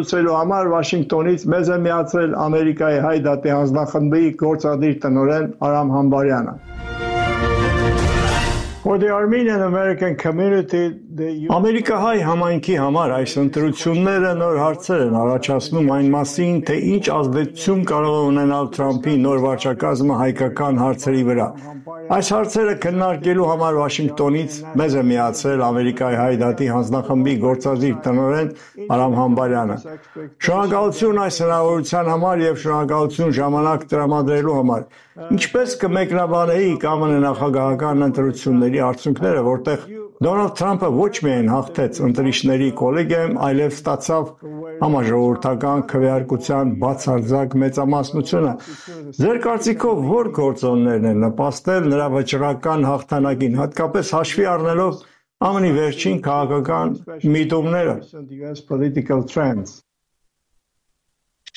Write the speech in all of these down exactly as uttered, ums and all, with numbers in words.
ընտրությունների համար Վաշինգտոնից մեզ է միացրել Ամերիկայի հայ դատի հանձնախմբի գործադիր տնօրեն Արամ Համբարյանը։ For the Armenian American community, the Ամերիկահայ համայնքի համար այս ընտրությունները նոր հարցեր են առաջացնում այն մասին, թե ինչ ազդեցություն կարող է ունենալ Թրամփի նոր վարչակազմը հայկական հարցերի վրա։ Այս հարցերը քննարկելու համար Վաշինգտոնից մեզ է միացրել Ամերիկայի հայ դատի հանձնախմբի գործադիր տնօրեն Արամ Համբարյանը։ Շնորհակալություն այս հնարավորության համար եւ շնորհակալություն ժամանակ տրամադրելու համար։ Ինչպես կմեկնաբանեիք ԱՄՆ նախագահական ընտրությունների արդյունքները, որտեղ Դոնալդ Թրամփը ոչ միայն հաղթեց ընտրիչների կոլեգիայում, այլև ստացավ համաժողովրդական քվեարկության բացարձակ մեծամասնությունը։ Ձեր կարծիքով ո՞ր գործոններն են նպաստել նրա վճռական հաղթանակին, հատկապես հաշվի առնելով ԱՄՆ-ի վերջին քաղաքական միտումները։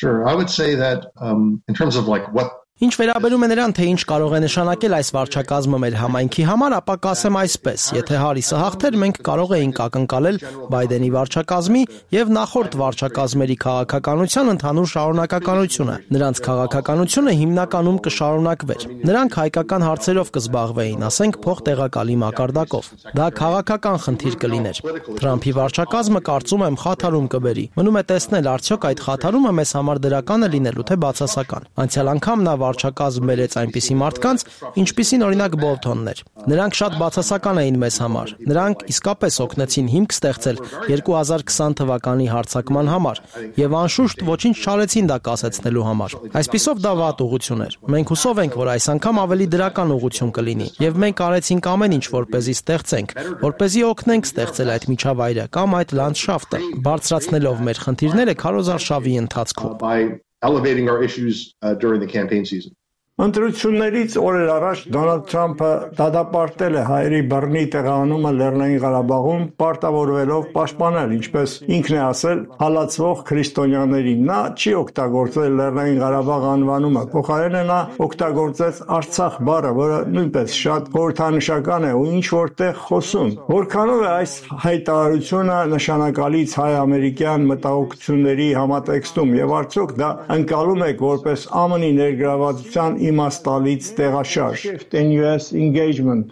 Sure, I would say that um, in terms of like what Ինչ վերաբերում է նրան, թե ինչ կարող է նշանակել այս վարչակազմը մեր համայնքի համար, ապա կասեմ այսպես. եթե Հարիսը հաղթեր, մենք կարող էինք ակնկալել Բայդենի վարչակազմի եւ նախորդ վարչակազմերի քաղաքականության ընդհանուր շարունակականությունը։ Նրանց քաղաքականությունը հիմնականում կշարունակվեր։ Նրանք հայկական հարցերով կզբաղվեին, ասենք փոխտեղակալի մակարդակով։ Դա քաղաքական խնդիր կլիներ։ Թրամփի վարչակազմը կարծում եմ խաթարում կբերի։ Մնում է տեսնել, արդյոք այդ խաթարումը մեզ համար դրական է լինելու, թե բացասական։ Անցյալ անգամ նա վարչակազմ բերեց այնպիսի մարդկանց, ինչպիսին օրինակ Բոլթոնն էր։ Նրանք շատ բացասական էին մեզ համար։ Նրանք իսկապես օգնեցին հիմք ստեղծել երկու հազար քսան թվականի հարձակման համար եւ անշուշտ ոչինչ չարեցին դա կասեցնելու համար։ Այսպիսով դա վատ ուղղություն էր։ Մենք հուսով ենք, որ այս անգամ ավելի դրական ուղղություն կլինի եւ մենք արեցինք ամեն ինչ, որպեսզի ստեղծենք, որպեսզի օգնենք ստեղծել այդ միջավայրը կամ այդ լանդշաֆտը, բարձրացնելով մեր խնդիրները քարոզարշավի ընթացքում։ elevating our issues uh, during the campaign season. Ընտրություններից օրեր առաջ Դոնալդ Թրամփը դադարեցրել է հայերի բռնի տեղանումը Լեռնային Ղարաբաղում, պարտավորվելով պաշտպանել, ինչպես ինքն է ասել, հալածվող քրիստոնյաներին։ Նա չի օգտագործել Լեռնային Ղարաբաղ անվանումը, փոխարենը նա օգտագործեց Արցախ բառը, որը նույնպես շատ խորհրդանշական է ու ինչ որտեղ խոսում։ Որքանով է այս հայտարարությունը նշանակալից հայ-ամերիկյան մտահոգությունների համատեքստում եւ արդյոք դա ընկալում եք որպես ԱՄՆ-ի ներգրավվածության իմաստալից տեղաշարժ in U S engagement.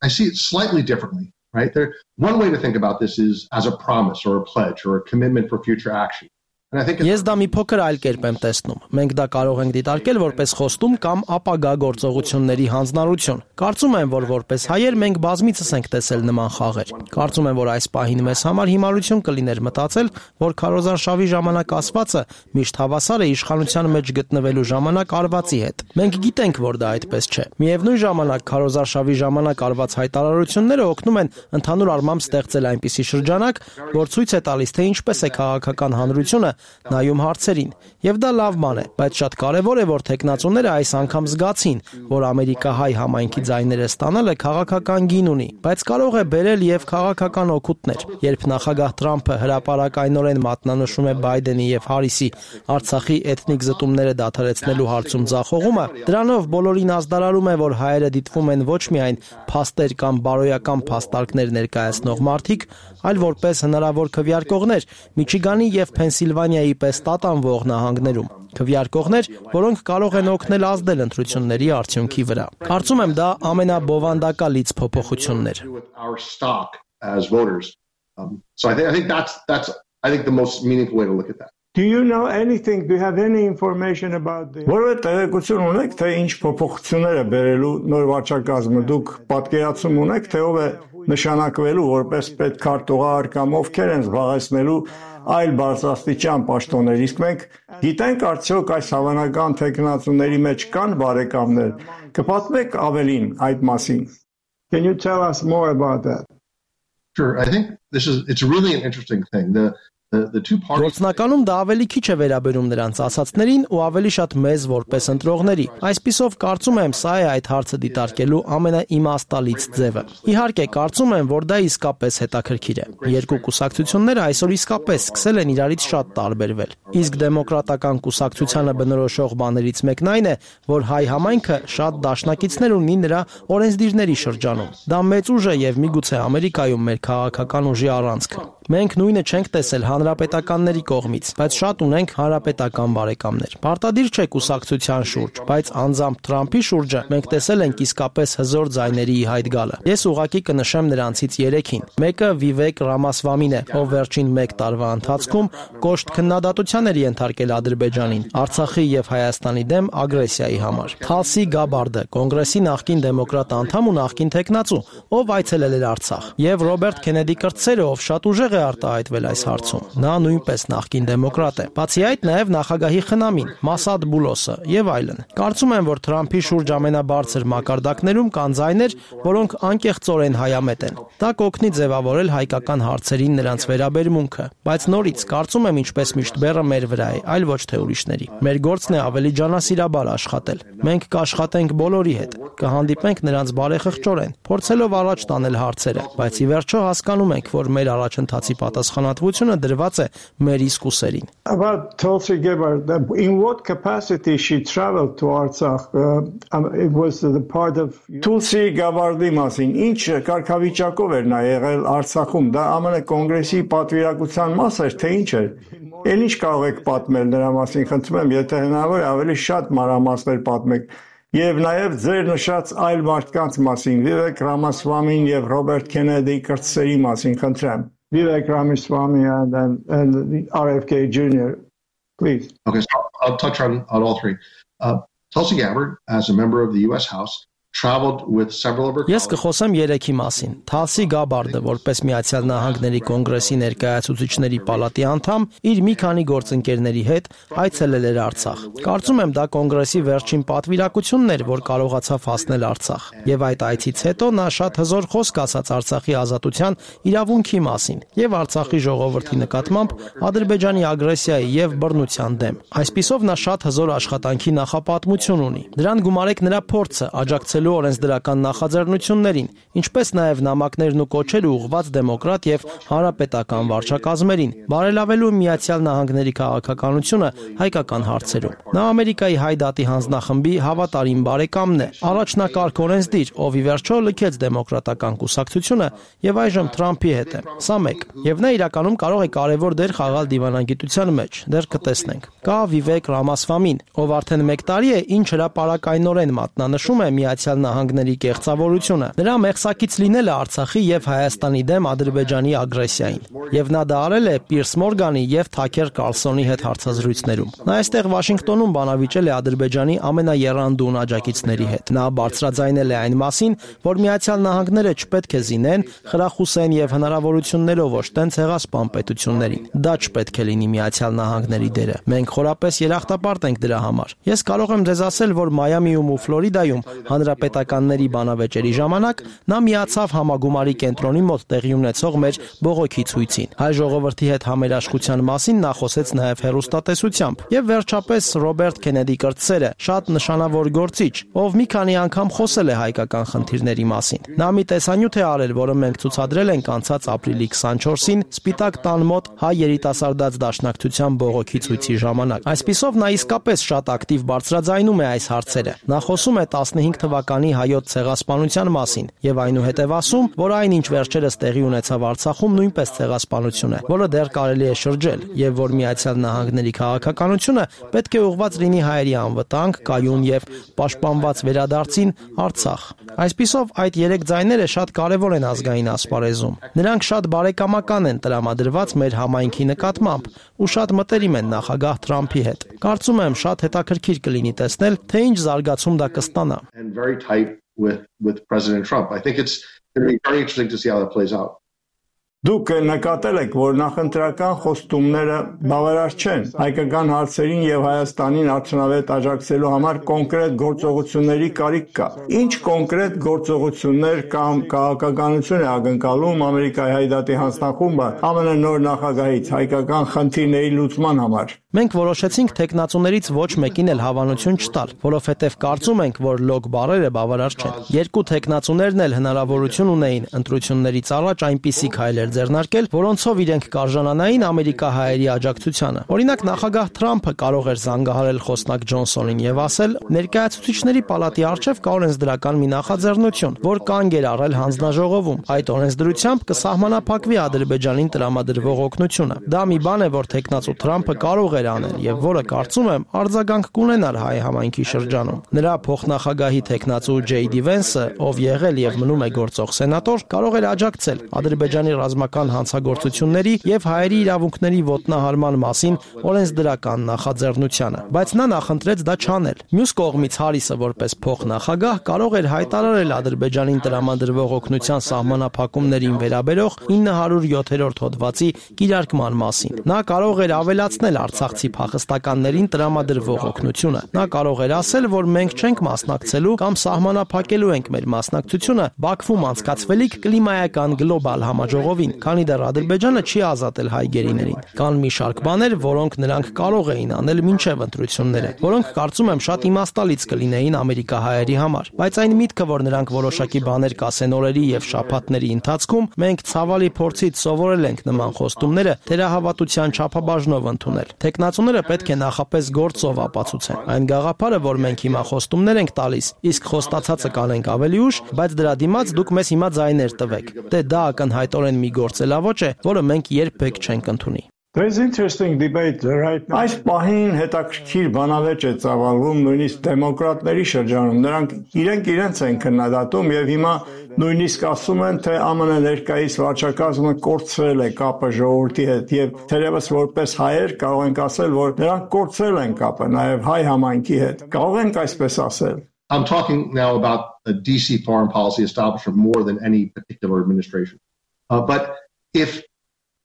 I see it slightly differently, right? There, one way to think about this is as a promise or a pledge or a commitment for future action. Ես դա մի փոքր այլ կերպ եմ տեսնում։ Մենք դա կարող ենք դիտարկել որպես խոստում կամ ապագա գործողությունների հանձնարարություն։ Կարծում եմ, որ որպես հայեր մենք բազմիցս ենք տեսել նման խաղեր։ Կարծում եմ, որ այս պահին մեզ համար հիմարություն կլիներ մտածել, որ քարոզարշավի ժամանակ ասվածը միշտ հավասար է իշխանության մեջ գտնվելու ժամանակ արվածի հետ։ Մենք գիտենք, որ դա այդպես չէ։ Միևնույն ժամանակ քարոզարշավի ժամանակ արված հայտարարությունները օգնում են ընդհանուր առմամբ ստեղծել այնպիսի շրջանակ, որ ցույց է տալիս, թե ինչպես է քաղաքական հանրությունը նայում հարցերին, եւ դա լավ բան է, բայց շատ կարեւոր է, որ տեխնացուները այս անգամ զգացին, որ ամերիկահայ համայնքի ձայները ստանալը քաղաքական գին ունի, բայց կարող է բերել եւ քաղաքական օգուտներ։ Երբ նախագահ Թրամփը հրապարակայնորեն մատնանշում է Բայդենի եւ Հարիսի Արցախի էթնիկ զտումները դադարեցնելու հարցում ձախողումը, դրանով բոլորին ազդարարում է, որ հայերը դիտվում են ոչ միայն փաստեր կամ բարոյական փաստարկներ ներկայացնող մարդիկ, այլ որպես հնարավոր քվեարկողներ Միչիգանի եւ Փենսիլվանիայի պես տատանվող նահանգներում։ Քվեարկողներ, որոնք կարող են օգնել ազդել ընտրությունների արդյունքի վրա։ Կարծում եմ դա ամենաբովանդակալից փոփոխությունն էր։ So I think I think that's that's I think the most meaningful way to look at that. Do you know anything? Do you have any information about the Որը տեղեկություն ունեք, թե ինչ փոփոխություններ է բերելու նոր վարչակազմը։ Դուք պատկերացում ունեք, թե ով է նշանակվելու որպես պետքարտուղար կամ ովքեր են զբաղեցնելու այլ բարձրաստիճան պաշտոններ։ Իսկ մենք գիտենք արդյոք այս հավանական տեխնացուների մեջ կան բարեկամներ։ Կպատմեք ավելին այդ մասին։ Can you tell us more about that? Sure, I think this is it's really an interesting thing. The Գործնականում դա ավելի քիչ է վերաբերում նրանց ասացներին ու ավելի շատ մեզ որպես ընտրողների։ Այսպիսով կարծում եմ սա է այդ հարցը դիտարկելու ամենաիմաստալից ձևը։ Իհարկե կարծում եմ, որ դա իսկապես հետաքրքիր է։ Երկու կուսակցությունները այսօր իսկապես սկսել են իրարից շատ տարբերվել։ Իսկ դեմոկրատական կուսակցությանը բնորոշող բաներից մեկն այն է, որ հայ համայնքը շատ դաշնակիցներ ունի նրա օրենսդիրների շրջանում։ Դա մեծ ուժ է եւ միգուցե Ամերիկայում մեր քաղաքական ուժի առանցքը։ Մենք նույնը չենք տեսել հանրապետականների կողմից, բայց շատ ունենք հանրապետական բարեկամներ։ Պարտադիր չէ կուսակցության շուրջ, բայց անձամբ Թրամփի շուրջը մենք տեսել ենք իսկապես հզոր ձայների ի հայտ գալը։ Ես ուղղակի կնշեմ նրանցից երեքին։ Մեկը Վիվեկ Ռամասվամին է, ով վերջին մեկ տարվա ընթացքում կոշտ քննադատության էր ենթարկել Ադրբեջանին Արցախի եւ Հայաստանի դեմ ագրեսիայի համար։ Թալսի Գաբարդը, կոնգրեսի նախկին դեմոկրատ անդամ ու նախկին տեխնացու, ով այցելել էր Արցախ, եւ Ռոբերտ Քենեդի կրտսերը, ով շատ ուժեղ է արտահայտվել այս հարցում։ Նա նույնպես նախկին դեմոկրատ է։ Բացի այդ, նաեւ նախագահի խնամին Մասադ Բուլոսը եւ այլն։ Կարծում եմ, որ Թրամփի շուրջ ամենաբարձր մակարդակներում կան ձայներ, որոնք անկեղծորեն հայամետ են։ Դա կօգնի ձևավորել հայկական հարցերին նրանց վերաբերմունքը, բայց նորից կարծում եմ, ինչպես միշտ բեռը մեր վրա է, այլ ոչ թե ուրիշների։ Մեր գործն է ավելի ջանասիրաբար աշխատել։ Մենք կաշխատենք բոլորի հետ, կհանդիպենք նրանց բարեխղճորեն, փորձելով առաջ տանել հարցերը, բայց ի վերջո հասկանում ենք, որ մեր առաջընթացի պատասխանատվությունը դրված է մեր իսկ ուսերին։ About Tulsi Gabbard, in what capacity she traveled to Artsakh? Uh, it was the part of Tulsi Gabbard-ի մասին ինչ կարգավիճակով էր նա եղել Արցախում, դա ԱՄՆ կոնգրեսի պատվիրակության մաս էր, թե ինչ էր։ Էլ ինչ կարող եք պատմել նրա մասին, խնդրում եմ, եթե հնարավոր է ավելի շատ մանրամասներ պատմեք։ Եվ նաև ձեր նշած այլ մարդկանց մասին, Վիվեկ Ռամասվամին եւ Ռոբերտ Քենեդի կրտսերի մասին, խնդրեմ։ Vivek Ramaswamy and, and, and R F K Junior, please. Okay, so I'll touch on, on all three. Uh, Tulsi Gabbard, as a member of the U S House, traveled with several of her Ես կխոսեմ երեքի մասին։ Թալսի Գաբարդը, որպես Միացյալ Նահանգների կոնգրեսի ներկայացուցիչների պալատի անդամ, իր մի քանի գործընկերների հետ այցելել էր Արցախ։ Կարծում եմ, դա կոնգրեսի վերջին պատվիրակությունն էր, որ կարողացավ հասնել Արցախ։ Եվ այդ այցից հետո նա շատ հզոր խոսք ասաց Արցախի ազատության իրավունքի մասին եւ Արցախի ժողովրդի նկատմամբ Ադրբեջանի ագրեսիայի եւ բռնության դեմ։ Այսպիսով նա շատ հզոր աշխատանքի նախապատմություն ունի։ Դրան գումարեք նրա փորձը աջակցել օրենսդրական նախաձեռնություններին, ինչպես նաև նամակներն ու կոչերը ուղղված դեմոկրատ եւ հանրապետական վարչակազմերին, բարելավելու Միացյալ Նահանգների քաղաքականությունը հայկական հարցերում։ Նա Ամերիկայի հայ դատի հանձնախմբի հավատարիմ բարեկամն է, առաջնակարգ օրենսդիր, ով ի վերջո լքեց դեմոկրատական կուսակցությունը եւ այժմ Թրամփի հետ է։ Սա մեկ։ Եվ նա իրականում կարող է կարևոր դեր խաղալ դիվանագիտության մեջ, դեռ կտեսնենք։ Կա Վիվեկ Ռամասվամին, ով արդեն մեկ տարի է ինչ հրապարակայնորեն մատնանշում է Միացյալ Նահանգների կեղծավորությունը։ Նրա մեղսակից լինելը Արցախի եւ Հայաստանի դեմ Ադրբեջանի ագրեսիային։ Եվ նա դա արել է Պիրս Մորգանի եւ Թաքեր Կարլսոնի հետ հարցազրույցներում։ Նա այստեղ Վաշինգտոնում բանավիճել է Ադրբեջանի ամենաեռանդուն աջակիցների հետ։ Նա բարձրաձայնել է այն մասին, որ Միացյալ Նահանգները չպետք է զինեն, խրախուսեն եւ հնարավորություններով օժտեն ցեղասպան պետություններին։ Դա չպետք է լինի Միացյալ Նահանգների դերը։ Մենք խորապես երախտապարտ ենք դրա համար։ Ես կարող եմ ձեզ ասել, որ Մայամիում ու Ֆլորիդայում հանրապետականների բանավեճերի ժամանակ նա միացավ համագումարի կենտրոնի մոտ տեղի ունեցող մեր բողոքի ցույցին։ Հայ ժողովրդի հետ համերաշխության մասին նա խոսեց նաև հեռուստատեսությամբ։ Եվ վերջապես Ռոբերտ Քենեդի կրտսերը, շատ նշանավոր գործիչ, ով մի քանի անգամ խոսել է հայկական խնդիրների մասին։ Նա մի տեսանյութ է արել, որը մենք ցուցադրել ենք անցած ապրիլի քսանչորսին Սպիտակ տան մոտ հայ երիտասարդաց դաշնակցության բողոքի ցույցի ժամանակ։ Այսպիսով նա իսկապես շատ ակտիվ բարձրաձայնում է այս հարցերը։ Նա խոսում է տասնհինգ թվականի հայոց ցեղասպանության մասին եւ այնուհետեւ ասում, որ այն ինչ վերջերս տեղի ունեցավ Արցախում նույնպես ցեղասպանություն է, որը դեռ կարելի է շրջել եւ որ Միացյալ Նահանգների քաղաքականությունը պետք է ուղղված լինի հայերի անվտանգ, կայուն եւ պաշտպանված վերադարձին Արցախ։ Այսպիսով այդ երեք ձայները շատ կարեւոր են ազգային ասպարեզում։ Նրանք շատ բարեկամական են տրամադրված մեր համայնքի նկատմամբ ու շատ մտերիմ են նախագահ Թրամփի հետ։ Կարծում եմ շատ հետաքրքիր կլինի տեսնել, թե ինչ զարգացում դա կստանա։ and very tight with, with President Trump. I think it's going to be very interesting to see how that plays out. Դուք նկատել եք, որ նախընտրական խոստումները բավարար չեն։ Հայկական հարցերին եւ Հայաստանին արդյունավետ աջակցելու համար կոնկրետ գործողությունների կարիք կա։ Ինչ կոնկրետ գործողություններ կամ քաղաքականություն է ակնկալում Ամերիկայի հայ դատի հանձնախումբը ԱՄՆ նոր նախագահից հայկական խնդիրների լուծման համար։ Մենք որոշեցինք տեխնացուներից ոչ մեկին էլ հավանություն չտալ, որովհետև կարծում ենք, որ լոկ բառերը բավարար չեն։ Երկու տեխնացուներն էլ հնարավորություն ունեին ընտրություններից առաջ այնպիսի քայլեր ձեռնարկել, որոնցով իրենք կարժանանային ամերիկահայերի աջակցությանը։ Օրինակ, նախագահ Թրամփը կարող էր զանգահարել խոսնակ Ջոնսոնին եւ ասել. «Ներկայացուցիչների պալատի առջեւ կա օրենսդրական մի նախաձեռնություն, որ կանգ էր առել հանձնաժողովում։ Այդ օրենսդրությամբ կսահմանափակվի Ադրբեջանին տրամադրվող օգնությունը»։ Դա մի բան է, որ տեխնացու Թրամփը կարող էր անել եւ որը կարծում եմ արձագանք կունենար հայ համայնքի շրջանում։ Նրա փոխնախագահի տեխնացու Ջեյ Դի Վենսը, ով եղել եւ մնում է գործող սենատոր, կարող էր աջակցել Ադրբեջանի ռազմական հանցագործությունների եւ հայերի իրավունքների ոտնահարման մասին օրենսդրական նախաձեռնությանը, բայց նա նախընտրեց դա չանել։ Մյուս կողմից Հարիսը որպես փոխնախագահ կարող էր հայտարարել Ադրբեջանին տրամադրվող օգնության սահմանափակումներին վերաբերող ինը հարյուր յոթերորդ հոդվածի կիրարկման մասին։ Նա կարող էր ավելացնել արցախցի փախստականներին տրամադրվող օգնությունը։ Նա կարող էր ասել, որ մենք չենք մասնակցելու կամ սահմանափակելու ենք մեր մասնակցությունը Բաքվում անցկացվելիք կլիմայական գլոբալ համաժողովին, քանի դեռ Ադրբեջանը չի ազատել հայ գերիներին։ Կան մի շարք բաներ, որոնք նրանք կարող էին անել մինչև ընտրությունները, որոնք կարծում եմ շատ իմաստալից կլինեին ամերիկահայերի համար, բայց այն միտքը, որ նրանք որոշակի բաներ կասեն օրերի եւ շաբաթների ընթացքում, մենք ցավալի փորձից սովորել ենք նման խոստումները թերահավատության չափաբաժնով ընդունել։ Տեխնացուները պետք է նախապես գործով ապացուցեն։ Այն գաղափարը, որ մենք հիմա խոստումներ ենք տալիս, իսկ խոստացածը կանենք ավելի ուշ, բայց դրա դիմաց դուք մեզ հիմա ձայներ տվեք։ Դե դա ակնհայտորեն մի գործելավոճ է, որը մենք երբեք չենք ընդունի։ There's interesting debate right now. Այս պահին հետաքրքիր բանավեճ է ծավալվում նույնիսկ դեմոկրատների շրջանում։ Նրանք իրենք իրենց են քննադատում եւ հիմա նույնիսկ ասում են, թե ԱՄՆ ներկայիս վարչակազմը կորցրել է կապը ժողովրդի հետ եւ թերևս որպես հայեր կարող ենք ասել, որ նրանք կորցրել են կապը նաեւ հայ համայնքի հետ։ Կարող ենք այսպես ասել։ I'm talking now about a D C foreign policy establishment more than any particular administration. Uh, but if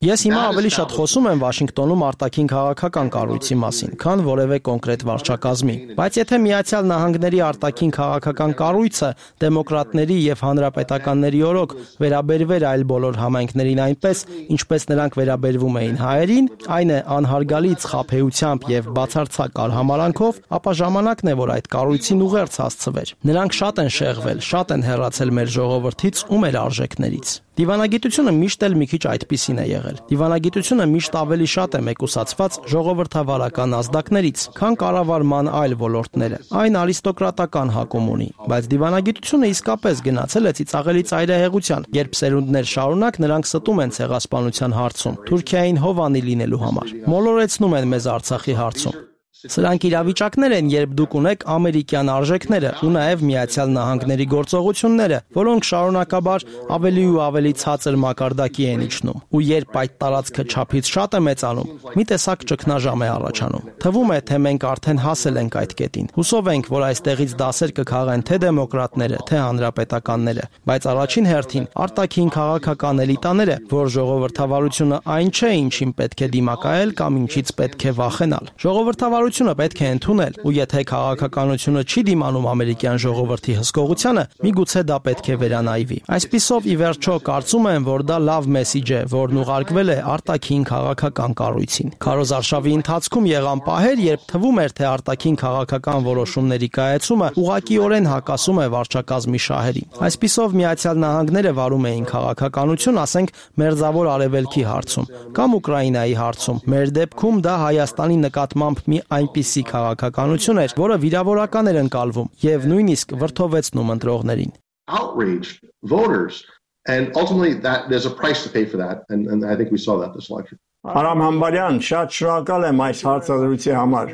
Ես հիմա ավելի շատ խոսում եմ Վաշինգտոնում արտաքին քաղաքական կառույցի մասին, քան որևէ կոնկրետ վարչակազմի, բայց եթե Միացյալ Նահանգների արտաքին քաղաքական կառույցը դեմոկրատների եւ հանրապետականների օրոք վերաբերվեր այլ բոլոր համայնքներին այնպես, ինչպես նրանք վերաբերվում էին հայերին, այն է անհարգալի ცხափեությամբ եւ բացարձակ արհամարանքով, ապա ժամանակն է, որ այդ կառույցին ուղերձ հասցվեր։ Նրանք շատ են շեղվել, շատ են հեռացել մեր ժողովրդից ու մեր արժեքներից։ Դիվանագիտությունը միշտ էլ մի քիչ այդպիսին է եղել։ Դիվանագիտությունը միշտ ավելի շատ է մեկուսացված ժողովրդավարական ազդակներից, քան կառավարման այլ ոլորտները։ Այն արիստոկրատական հակում ունի, բայց դիվանագիտությունը իսկապես գնացել է ծիծաղելի ծայրահեղության, երբ սերունդներ շարունակ նրանք ստում են ցեղասպանության հարցում, Թուրքիային հովանի լինելու համար, մոլորեցնում են մեզ Արցախի հարցում։ Սրանք իրավիճակներ են, երբ դուք ունեք ամերիկյան արժեքները ու նաև Միացյալ Նահանգների գործողությունները, որոնք շարունակաբար ավելի ու ավելի ցածր մակարդակի են իջնում, ու երբ այդ տարածքը չափից շատ է մեծանում, մի տեսակ ճգնաժամ է առաջանում։ Թվում է, թե մենք արդեն հասել ենք այդ կետին։ Հուսով ենք, որ այստեղից դասեր կքաղեն թե դեմոկրատները, թե հանրապետականները, բայց առաջին հերթին արտաքին քաղաքական էլիտաները, որ ժողովրդավարությունը այն չէ, ինչին պետք է դիմակայել կամ ինչից պետք է վախենալ։ Ժողովրդավարությունը պետք է ընդունել, ու եթե քաղաքականությունը չի դիմանում ամերիկյան ժողովրդի հսկողությանը, միգուցե դա պետք է վերանայվի։ Այսպիսով, ի վերջո, կարծում եմ, որ դա լավ մեսիջ է, որն ուղարկվել է արտաքին քաղաքական կառույցին։ Քարոզարշավի ընթացքում եղան պահեր, երբ թվում էր, թե արտաքին քաղաքական որոշումների կայացումը ուղղակիորեն հակասում է վարչակազմի շահերին։ Այսպիսով, Միացյալ Նահանգները վարում էին քաղաքականություն, ասենք, Մերձավոր Արևելքի հարցում կամ Ուկրաինայի հարցում։ Մեր դեպքում դա Հայաստանի նկատմամբ մի այնպիսի քաղաքականություն էր, որը վիրավորական էր ընկալվում եւ նույնիսկ վրդովեցնում ընտրողներին։ Outraged voters and ultimately that there's a price to pay for that and and I think we saw that this election. Արամ Համբարյան, շատ շնորհակալ եմ այս հարցադրույցի համար։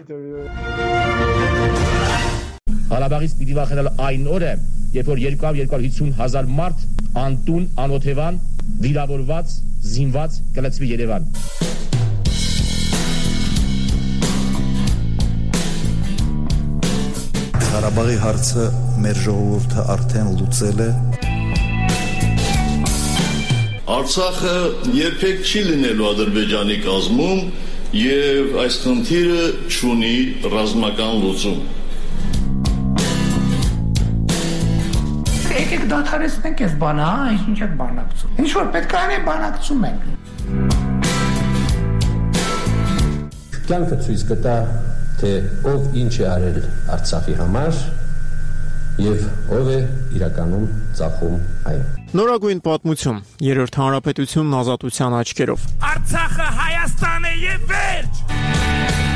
Ղարաբաղից պիտի վախենալ այն օրը, երբ որ երկու հարյուր հիսուն հազար մարդ անտուն, անօթևան, վիրավորված, զինված կլցվի Երևան։ Ղարաբաղի հարցը մեր ժողովուրդը արդեն լուծել է։ Արցախը երբեք չի լինելու Ադրբեջանի կազմում եւ այս խնդիրը չունի ռազմական լուծում։ Եկեք դադարեցնենք այս բանը, հա, ինչ եք բանակցում։ Ինչ որ պետք է անել, բանակցում ենք։ Կյանքը ցույց կտա, թե ով ինչ է արել Արցախի համար եւ ով է իրականում ծախում այն։ Նորագույն պատմություն, երրորդ հանրապետությունն ազատության աչքերով։ Արցախը Հայաստան է եւ վերջ։